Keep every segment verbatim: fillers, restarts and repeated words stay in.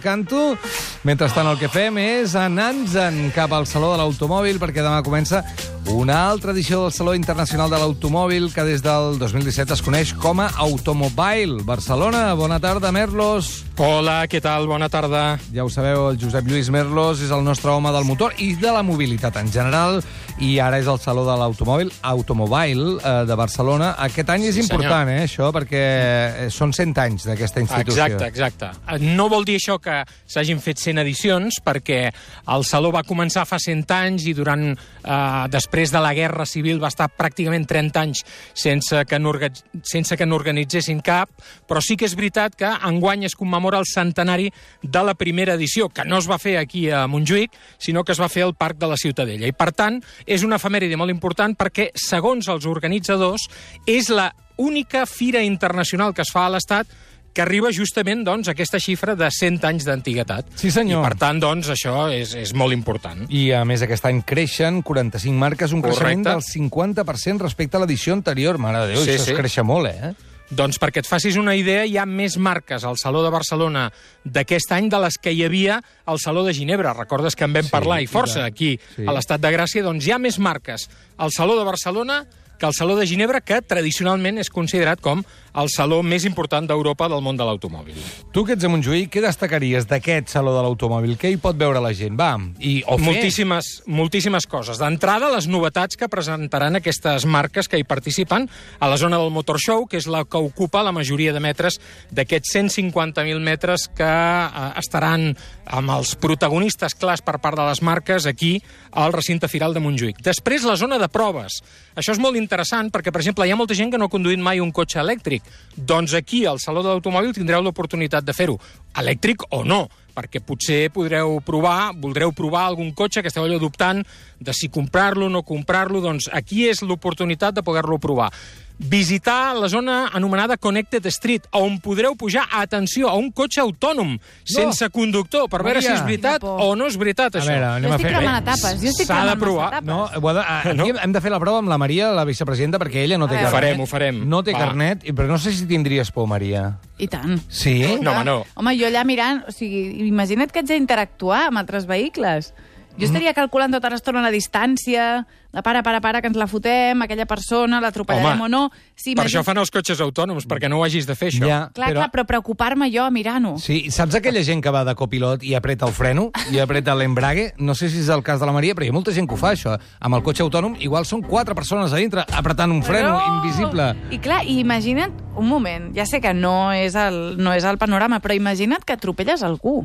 Canto. Mentrestant el que fem és anar-nos-en cap al Saló de l'Automòbil, perquè demà comença una altra edició del Saló Internacional de l'Automòbil que des del dos mil disset es coneix com a Automobile Barcelona. Bona tarda, Merlos. Hola, què tal? Bona tarda. Ja ho sabeu, el Josep Lluís Merlos és el nostre home del motor i de la mobilitat en general, i ara és el Saló de l'Automòbil Automobile eh, de Barcelona. Aquest any és Sí, important, eh, això, perquè són cent anys d'aquesta institució. Exacte, exacte. No vol dir això que s'hagin fet cent edicions, perquè el Saló va començar fa cent anys i durant, eh, després de la Guerra Civil va estar pràcticament trenta anys sense que, sense que n'organitzessin cap, però sí que és veritat que enguany es commemora el centenari de la primera edició, que no es va fer aquí a Montjuïc, sinó que es va fer al Parc de la Ciutadella. I, per tant, és una efemèride molt important perquè, segons els organitzadors, és la única fira internacional que es fa a l'Estat que arriba justament doncs, a aquesta xifra de cent anys d'antiguitat. Sí, senyor. I, per tant, doncs, això és, és molt important. I, a més, aquest any creixen quaranta-cinc marques, un Correcte. creixement del cinquanta per cent respecte a l'edició anterior. Mare de Déu, Sí, això sí. es créixer molt, eh? Doncs perquè et facis una idea, hi ha més marques al Saló de Barcelona d'aquest any de les que hi havia al Saló de Ginebra. Recordes que en vam Sí, parlar i força i tant. aquí, Sí. a l'Estat de Gràcia? Doncs hi ha més marques al Saló de Barcelona que al Saló de Ginebra, que tradicionalment és considerat com el saló més important d'Europa del món de l'automòbil. Tu, que ets a Montjuïc, què destacaries d'aquest Saló de l'Automòbil? Què hi pot veure la gent? Va, i, o fer... Moltíssimes, moltíssimes coses. D'entrada, les novetats que presentaran aquestes marques que hi participen a la zona del Motor Show, que és la que ocupa la majoria de metres d'aquests cent cinquanta mil metres que eh, estaran amb els protagonistes clars per part de les marques aquí al recinte firal de Montjuïc. Després, la zona de proves. Això és molt interessant perquè, per exemple, hi ha molta gent que no ha conduït mai un cotxe elèctric. Doncs aquí, al Saló de l'Automòbil, tindreu l'oportunitat de fer-ho, elèctric o no, perquè potser podreu provar, voldreu provar algun cotxe que esteu allò dubtant de si comprar-lo o no comprar-lo, doncs aquí és l'oportunitat de poder-lo provar. Visitar la zona anomenada Connected Street, on podreu pujar, atenció, a un cotxe autònom, sense conductor, per veure Maria. si és veritat o no és veritat, A això. veure, anem Jo a estic fer... cremant etapes, jo estic S'ha de cremant provar. massa etapes. No, ho ha de, aquí No? hem de fer la prova amb la Maria, la vicepresidenta, perquè ella no té A veure. carnet. Ho farem, ho farem. No té Va. carnet, i- però no sé si tindries por, Maria. I tant. Sí? No, home, no. Home, jo allà mirant... O sigui, imagina't que haig d'interactuar amb altres vehicles. Jo estaria calculant tota l'estona la distància, la para, para, para, que ens la fotem, aquella persona, l'atropellarem Home, o no. Sí, Per imagina- això fan els cotxes autònoms, perquè no ho hagis de fer, això. Ja, Clar, però... clar, però preocupar-me jo mirant-ho. Sí, saps aquella gent que va de copilot i apreta el freno i apreta l'embrague? No sé si és el cas de la Maria, però hi ha molta gent que ho fa, això. Amb el cotxe autònom, igual són quatre persones a dintre apretant un freno Però- invisible. I clar, i imagina't, un moment, ja sé que no és el, no és el panorama, però imagina't que atropelles algú.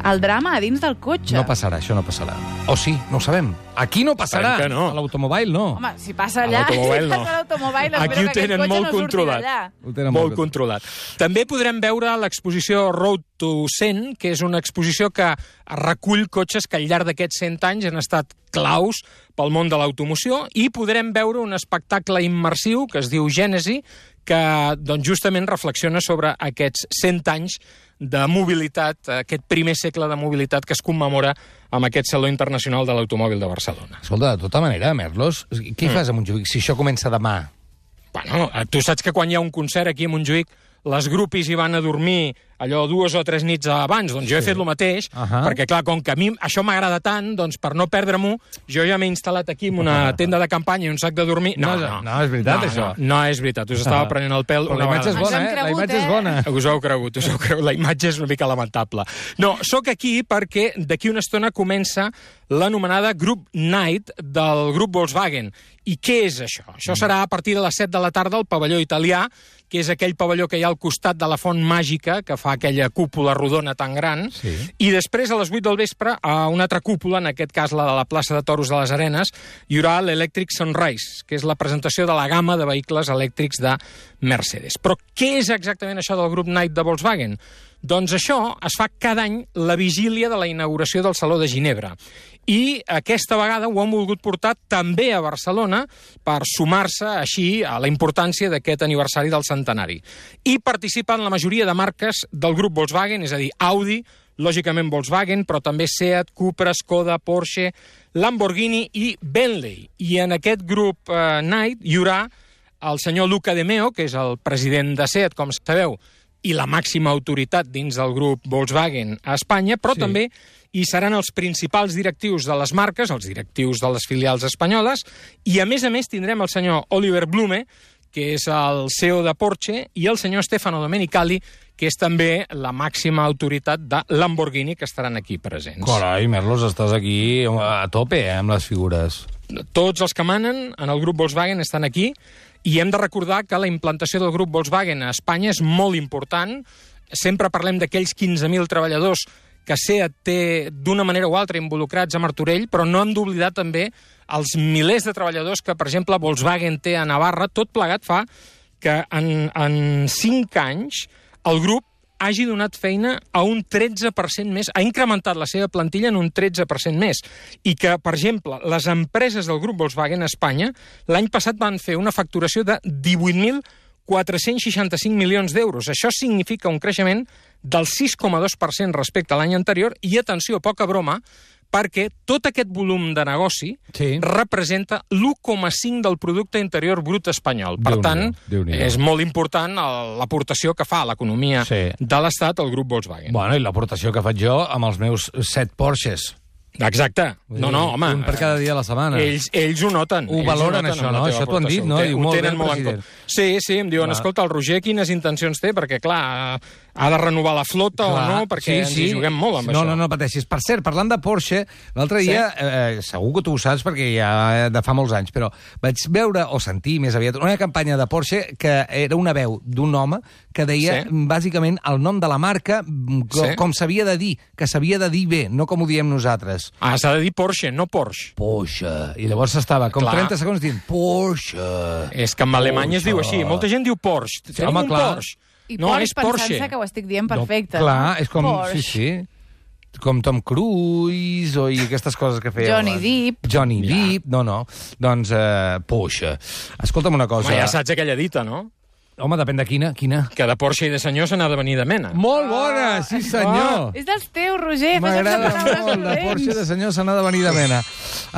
El drama a dins del cotxe. No passarà, això no passarà. O sí, no ho sabem. Aquí no passarà. Esperem que no. A l'Automòbil no. Home, si passa A allà... l'automòbil si no. passa a l'automòbil, espero Aquí ho que aquest tenen cotxe molt no surti controlat. d'allà. Ho tenen Molt molt controlat. També podrem veure l'exposició Road to cent, que és una exposició que recull cotxes que al llarg d'aquests cent anys han estat claus pel món de l'automoció, i podrem veure un espectacle immersiu que es diu Gènesi, que doncs, justament reflexiona sobre aquests cent anys de mobilitat, aquest primer segle de mobilitat que es commemora amb aquest Saló Internacional de l'Automòbil de Barcelona. Escolta, de tota manera, Merlos, què mm. fas a Montjuïc si això comença demà? Bueno, tu saps que quan hi ha un concert aquí a Montjuïc, les grupis hi van a dormir allò dues o tres nits abans, doncs jo he Sí. fet el mateix, Ahà. perquè clar, com que a mi això m'agrada tant, doncs per no perdre-m'ho, jo ja m'he instal·lat aquí en una tenda de campanya i un sac de dormir. No, No, no, no, és veritat, no, això. No, no és veritat, us estava prenent el pèl Però una la imatge és vegada bona, Ens eh? hem La cregut, imatge és eh? bona. us ho heu cregut, us ho heu cregut. La imatge és una mica lamentable. No, sóc aquí perquè d'aquí una estona comença l'anomenada Group Night del grup Volkswagen. I què és això? Això serà a partir de les set de la tarda al pavelló italià, que és aquell pavelló que hi ha al costat de la font màgica, que fa aquella cúpula rodona tan gran, Sí. i després a les vuit del vespre a una altra cúpula, en aquest cas la de la plaça de Toros de les Arenes, hi haurà l'Electric Sunrise, que és la presentació de la gamma de vehicles elèctrics de Mercedes. Però què és exactament això del Group Night de Volkswagen? Doncs això es fa cada any la vigília de la inauguració del Saló de Ginebra. I aquesta vegada ho han volgut portar també a Barcelona per sumar-se així a la importància d'aquest aniversari del centenari. I participen la majoria de marques del grup Volkswagen, és a dir, Audi, lògicament Volkswagen, però també Seat, Cupra, Skoda, Porsche, Lamborghini i Bentley. I en aquest grup eh, Night hi haurà el senyor Luca De Meo, que és el president de Seat, com sabeu, i la màxima autoritat dins del grup Volkswagen a Espanya, però Sí. també hi seran els principals directius de les marques, els directius de les filials espanyoles, i a més a més tindrem el senyor Oliver Blume, que és el C E O de Porsche, i el senyor Stefano Domenicali, que és també la màxima autoritat de Lamborghini, que estaran aquí presents. Carai, Merlos, estàs aquí a tope, eh, amb les figures. Tots els que manen en el grup Volkswagen estan aquí, i hem de recordar que la implantació del grup Volkswagen a Espanya és molt important. Sempre parlem d'aquells quinze mil treballadors que SEAT té d'una manera o altra involucrats a Martorell, però no hem d'oblidar també els milers de treballadors que, per exemple, Volkswagen té a Navarra. Tot plegat fa que en, en cinc anys el grup hagi donat feina a un tretze per cent més, ha incrementat la seva plantilla en un tretze per cent més, i que, per exemple, les empreses del grup Volkswagen a Espanya l'any passat van fer una facturació de divuit mil quatre-cents seixanta-cinc milions d'euros. Això significa un creixement del sis coma dos per cent respecte a l'any anterior, i, atenció, poca broma, perquè tot aquest volum de negoci Sí. representa l'u coma cinc del producte interior brut espanyol. Per Déu-n'hi-do, tant, Déu-n'hi-do. és molt important l'aportació que fa a l'economia Sí. de l'Estat el grup Volkswagen. Bueno, i l'aportació que faig jo amb els meus set Porsches. Exacte. No, no, home. Un per cada dia de la setmana. Ells, ells ho noten. Ho ells valoren, noten això, amb la no? teva Això t'ho han aportació. dit, no? Ho té- Diu, ho molt bé, tenen el molt en president. compte. Sí, sí, em diuen, Va. escolta, el Roger quines intencions té? Perquè, clar, ha de renovar la flota Clar, o no? Perquè sí, ens sí. hi juguem molt amb no, això. No, no pateixis. Per cert, parlant de Porsche, l'altre Sí. dia, eh, segur que tu ho saps perquè ja de fa molts anys, però vaig veure o sentir més aviat una campanya de Porsche que era una veu d'un home que deia Sí. bàsicament el nom de la marca com, Sí. com s'havia de dir, que s'havia de dir bé, no com ho diem nosaltres. Ah, s'ha de dir Porsche, no Porsche. Porsche. I llavors estava com Clar. trenta segons dient Porsche. És que en alemany es diu així. Molta gent diu Porsche. Tenim home, un clar. Porsche. I no, Porsche és Porsche. pensant-se que ho estic dient perfecte. No, clar, no? és com... Porsche. Sí, sí. Com Tom Cruise o i aquestes coses que feia... Johnny abans. Depp. Johnny Depp, no, no. Doncs, eh, Porsche. Escolta'm una cosa. Home, ja saps aquella dita, no? Home, depèn de quina, quina. Que de Porsche i de senyor se n'ha de venir de mena. Molt bona, sí senyor. És dels teus, Roger. M'agrada Fes les molt, de Porsche de senyor se n'ha de venir de mena.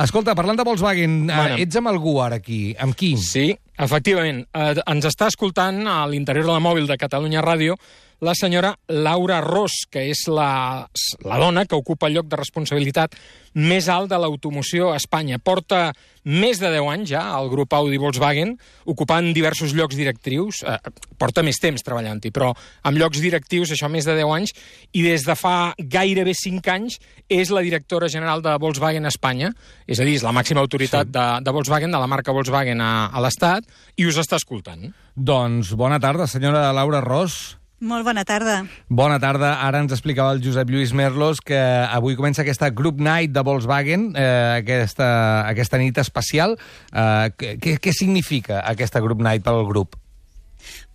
Escolta, parlant de Volkswagen, Bueno. eh, ets amb algú ara aquí. Amb qui? Sí, efectivament. Eh, ens està escoltant a l'interior de la mòbil de Catalunya Ràdio la senyora Laura Ros, que és la, la dona que ocupa el lloc de responsabilitat més alt de l'automoció a Espanya. Porta més de deu anys ja al grup Audi Volkswagen, ocupant diversos llocs directius. Eh, porta més temps treballant-hi, però amb llocs directius, això més de deu anys, i des de fa gairebé cinc anys és la directora general de Volkswagen a Espanya, és a dir, és la màxima autoritat sí. de, de Volkswagen, de la marca Volkswagen a, a l'Estat, i us està escoltant. Doncs bona tarda, senyora Laura Ros. Molt bona tarda. Bona tarda. Ara ens explicava el Josep Lluís Merlos que avui comença aquesta Group Night de Volkswagen, eh, aquesta, aquesta nit especial. Eh, què, què significa aquesta Group Night pel grup?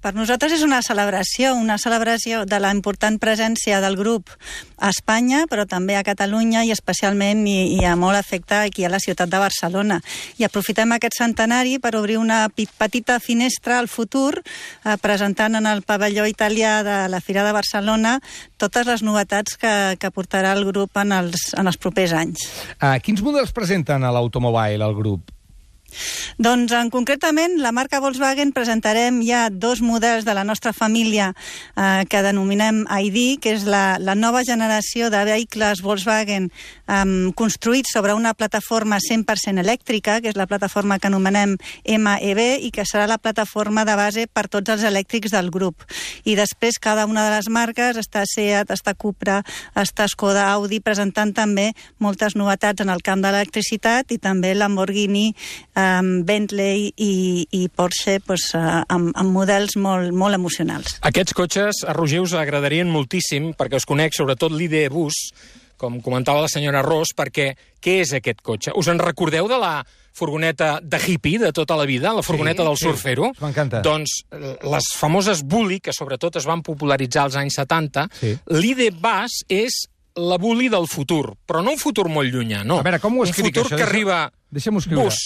Per nosaltres és una celebració, una celebració de la important presència del grup a Espanya, però també a Catalunya i especialment i, i a molt efecte aquí a la ciutat de Barcelona. I aprofitem aquest centenari per obrir una petita finestra al futur, eh, presentant en el pavelló italià de la Fira de Barcelona totes les novetats que, que portarà el grup en els, en els propers anys. Eh, quins models presenten a l'automobile, al grup? Doncs, en concretament, la marca Volkswagen presentarem ja dos models de la nostra família eh, que denominem I D, que és la, la nova generació de vehicles Volkswagen eh, construïts sobre una plataforma cent per cent elèctrica, que és la plataforma que anomenem M E B i que serà la plataforma de base per tots els elèctrics del grup. I després cada una de les marques, està SEAT, està Cupra, està Skoda, Audi, presentant també moltes novetats en el camp de l'electricitat i també Lamborghini, Um, Bentley i, i Porsche pues, uh, amb, amb models molt, molt emocionals. Aquests cotxes, a Roger, us agradarien moltíssim, perquè us conec sobretot l'I D Bus, com comentava la senyora Ros, perquè què és aquest cotxe? Us en recordeu de la furgoneta de hippie de tota la vida, la furgoneta Sí, del sí, surfero? m'encanta. Doncs les famoses Bully, que sobretot es van popularitzar als anys setanta, Sí. l'I D Bus és la Bully del futur, però no un futur molt llunyà, no. A veure, com ho escric, un futur això? que Deixa- arriba deixa'm-ho escriure. Bus,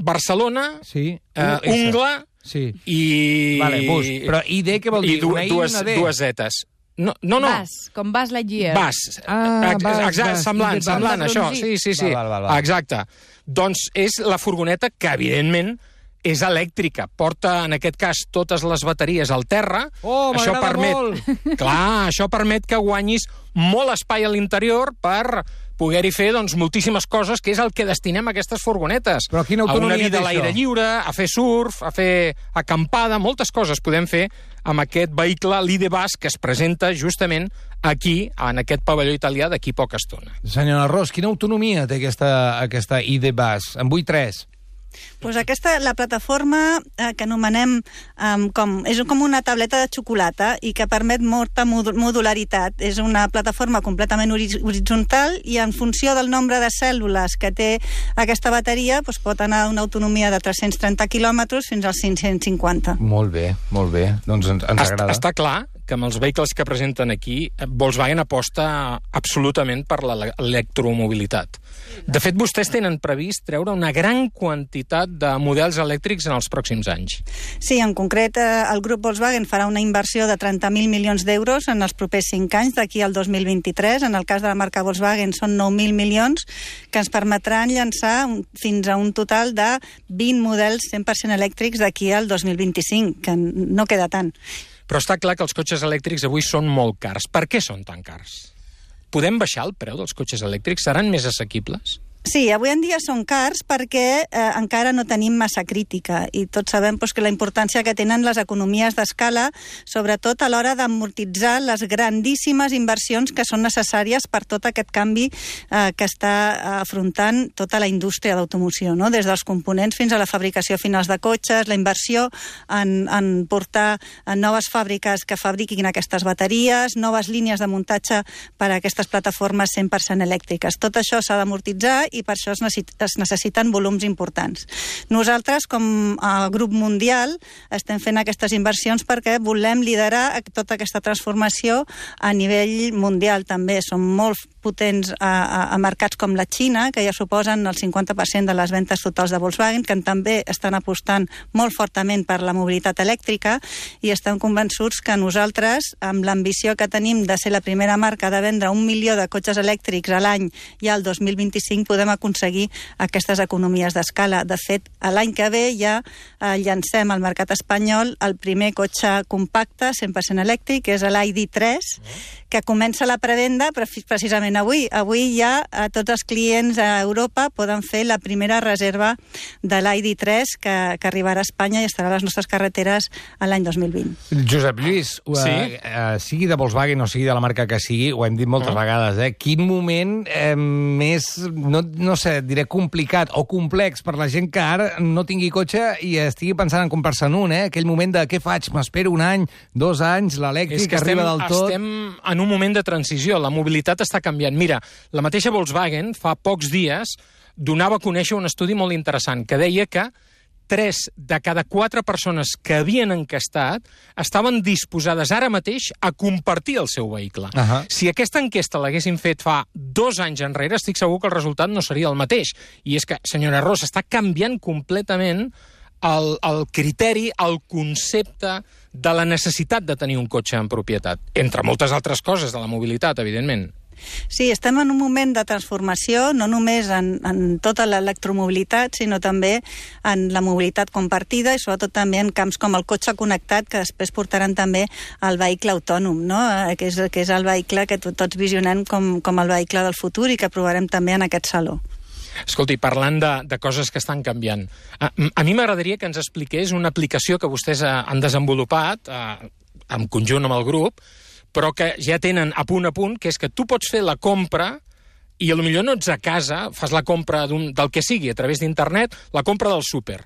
Barcelona, Sí. eh, U S. Ungla Sí. i... Vale, Bus. Però I D què vol dir? I du Una I i dues, una D? dues zetes. No, no, no. Vas, com Buzz Lightyear. Vas. Ah, Ex- vas, exacte, vas. semblant, I de semblant, vas. això. Sí, sí, sí. Val, val, val, val. Exacte. Doncs és la furgoneta que, evidentment, és elèctrica. Porta, en aquest cas, totes les bateries al terra. Oh, això m'agrada permet, molt! Clar, això permet que guanyis molt espai a l'interior per poder-hi fer doncs, moltíssimes coses, que és el que destinem a aquestes furgonetes. Però quina autonomia a una vida té a l'aire això? lliure, a fer surf, a fer acampada, moltes coses podem fer amb aquest vehicle, l'I D Bus, que es presenta justament aquí, en aquest pavelló italià, d'aquí poca estona. Senyora Ros, quina autonomia té aquesta, aquesta I D Bus? En vull tres. Pues aquesta, la plataforma eh, que anomenem um, com, és com una tableta de xocolata i que permet molta modularitat. És una plataforma completament horitzontal i en funció del nombre de cèl·lules que té aquesta bateria pues, pot anar a una autonomia de tres-cents trenta quilòmetres fins als cinc-cents cinquanta. Molt bé, molt bé. Doncs ens, ens agrada. Està clar que amb els vehicles que presenten aquí, Volkswagen aposta absolutament per l'electromobilitat. De fet, vostès tenen previst treure una gran quantitat de models elèctrics en els pròxims anys. Sí, en concret, el grup Volkswagen farà una inversió de trenta mil milions d'euros en els propers cinc anys, d'aquí al dos mil vint-i-tres. En el cas de la marca Volkswagen són nou mil milions, que ens permetran llançar fins a un total de vint models cent per cent elèctrics d'aquí al dos mil vint-i-cinc, que no queda tant. Però està clar que els cotxes elèctrics avui són molt cars. Per què són tan cars? Podem baixar el preu dels cotxes elèctrics? Seran més assequibles? Sí, avui en dia són cars perquè eh, encara no tenim massa crítica i tots sabem pues, que la importància que tenen les economies d'escala, sobretot a l'hora d'amortitzar les grandíssimes inversions que són necessàries per tot aquest canvi eh, que està afrontant tota la indústria d'automoció, no? Des dels components fins a la fabricació finals de cotxes, la inversió en, en portar en noves fàbriques que fabriquin aquestes bateries, noves línies de muntatge per a aquestes plataformes cent per cent elèctriques. Tot això s'ha d'amortitzar i per això es, necessit, es necessiten volums importants. Nosaltres, com a grup mundial, estem fent aquestes inversions perquè volem liderar tota aquesta transformació a nivell mundial també. Som molt potents a, a, a mercats com la Xina, que ja suposen el cinquanta per cent de les ventes totals de Volkswagen, que també estan apostant molt fortament per la mobilitat elèctrica i estem convençuts que nosaltres, amb l'ambició que tenim de ser la primera marca de vendre un milió de cotxes elèctrics a l'any ja al dos mil vint-i-cinc, podem aconseguir aquestes economies d'escala. De fet, l'any que ve ja eh, llancem al mercat espanyol el primer cotxe compacte cent per cent elèctric, que és l'I D tres, que comença la prevenda precisament avui. Avui ja eh, tots els clients a Europa poden fer la primera reserva de l'I D tres que, que arribarà a Espanya i estarà a les nostres carreteres l'any dos mil vint. Josep Lluís, Sí? eh, eh, sigui de Volkswagen o sigui de la marca que sigui, ho hem dit moltes Uh-huh. vegades, eh? Quin moment eh, més, no, no sé, diré complicat o complex per la gent que ara no tingui cotxe i estigui pensant en comprar-se'n un, eh? Aquell moment de què faig? M'espero un any, dos anys, l'elèctric És que estem, arriba del tot... estem en un moment de transició, la mobilitat està canviant. Mira, la mateixa Volkswagen fa pocs dies donava a conèixer un estudi molt interessant que deia que tres de cada quatre persones que havien encastat estaven disposades ara mateix a compartir el seu vehicle. Ahà. Si aquesta enquesta l'haguessin fet fa dos anys enrere, estic segur que el resultat no seria el mateix. I és que, senyora Ros, està canviant completament el, el criteri, el concepte de la necessitat de tenir un cotxe en propietat. Entre moltes altres coses de la mobilitat, evidentment. Sí, estem en un moment de transformació, no només en, en tota l'electromobilitat, sinó també en la mobilitat compartida i sobretot també en camps com el cotxe connectat, que després portaran també el vehicle autònom, no? eh, que, és, que és el vehicle que to, tots visionem com, com el vehicle del futur i que provarem també en aquest saló. Escolti, parlant de, de coses que estan canviant, a, a mi m'agradaria que ens expliqués una aplicació que vostès eh, han desenvolupat eh, en conjunt amb el grup, però que ja tenen a punt a punt, que és que tu pots fer la compra i potser no ets a casa, fas la compra del que sigui a través d'internet, la compra del súper.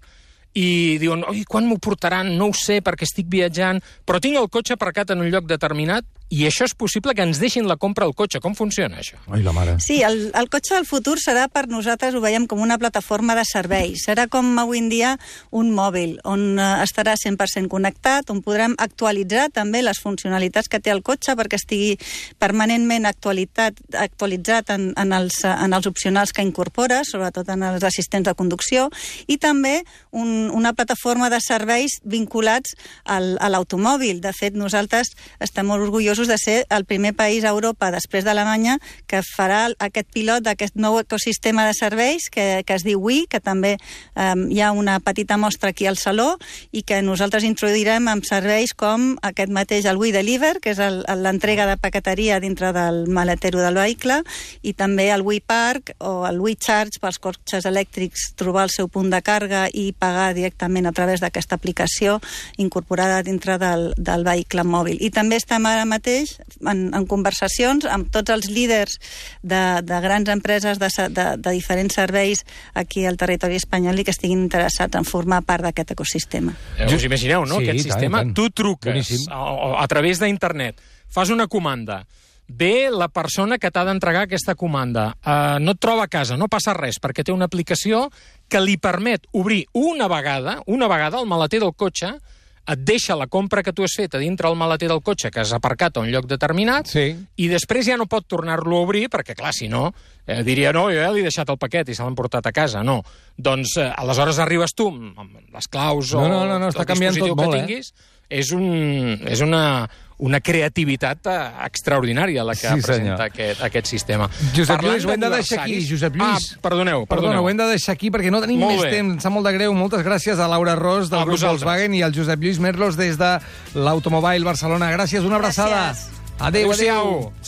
I diuen, oi, quan m'ho portaran? No ho sé, perquè estic viatjant, però tinc el cotxe aparcat en un lloc determinat i això és possible que ens deixin la compra al cotxe. Com funciona això? Ai, la mare. Sí, el, el cotxe del futur serà per nosaltres, ho veiem com una plataforma de serveis. Serà com avui en dia un mòbil, on eh, estarà cent per cent connectat, on podrem actualitzar també les funcionalitats que té el cotxe perquè estigui permanentment actualitzat, actualitzat en, en, els, en els opcionals que incorpora, sobretot en els assistents de conducció, i també un, una plataforma de serveis vinculats al, a l'automòbil. De fet, nosaltres estem molt orgullosos orgullosos de ser el primer país a Europa, després d'Alemanya, que farà aquest pilot d'aquest nou ecosistema de serveis que, que es diu Wi, que també eh, hi ha una petita mostra aquí al Saló i que nosaltres introduirem amb serveis com aquest mateix, el Wi Deliver, que és l'entrega de paqueteria dintre del maletero del vehicle, i també el Wi Park o el Wi Charge pels cotxes elèctrics, trobar el seu punt de càrrega i pagar directament a través d'aquesta aplicació incorporada dintre del, del vehicle mòbil. I també estem ara mateix en, en conversacions amb tots els líders de, de grans empreses de, de, de diferents serveis aquí al territori espanyol i que estiguin interessats en formar part d'aquest ecosistema. Eh, us imagineu, no? Sí, Aquest tant, sistema, tant. tu truques a, a través d'internet, fas una comanda, ve la persona que t'ha d'entregar aquesta comanda, uh, no et troba a casa, no passa res, perquè té una aplicació que li permet obrir una vegada, una vegada el maleter del cotxe, et deixa la compra que tu has fet a dintre el maleter del cotxe que has aparcat a un lloc determinat, Sí. i després ja no pot tornar-lo a obrir, perquè, clar, si no, eh, diria, no, jo ja li he deixat el paquet i se l'han portat a casa. No. Doncs, eh, aleshores arribes tu amb les claus No, o no, no, no, està el canviant dispositiu tot molt, que tinguis. És, un, és una, una creativitat eh, extraordinària la que Sí, presenta senyor. aquest, aquest sistema. Josep Parlant Lluís, ho hem de deixar aquí, d'aniversaris- Josep Lluís. Ah, perdoneu, Perdona, perdoneu. ho hem de deixar aquí perquè no tenim Molt més bé. temps. Em sap molt de greu. Moltes gràcies a Laura Ros, del A grup vosaltres. Volkswagen, i al Josep Lluís Merlos des de l'Automobile Barcelona. Gràcies, una abraçada. Gràcies. Adéu, adéu. Adéu-siau.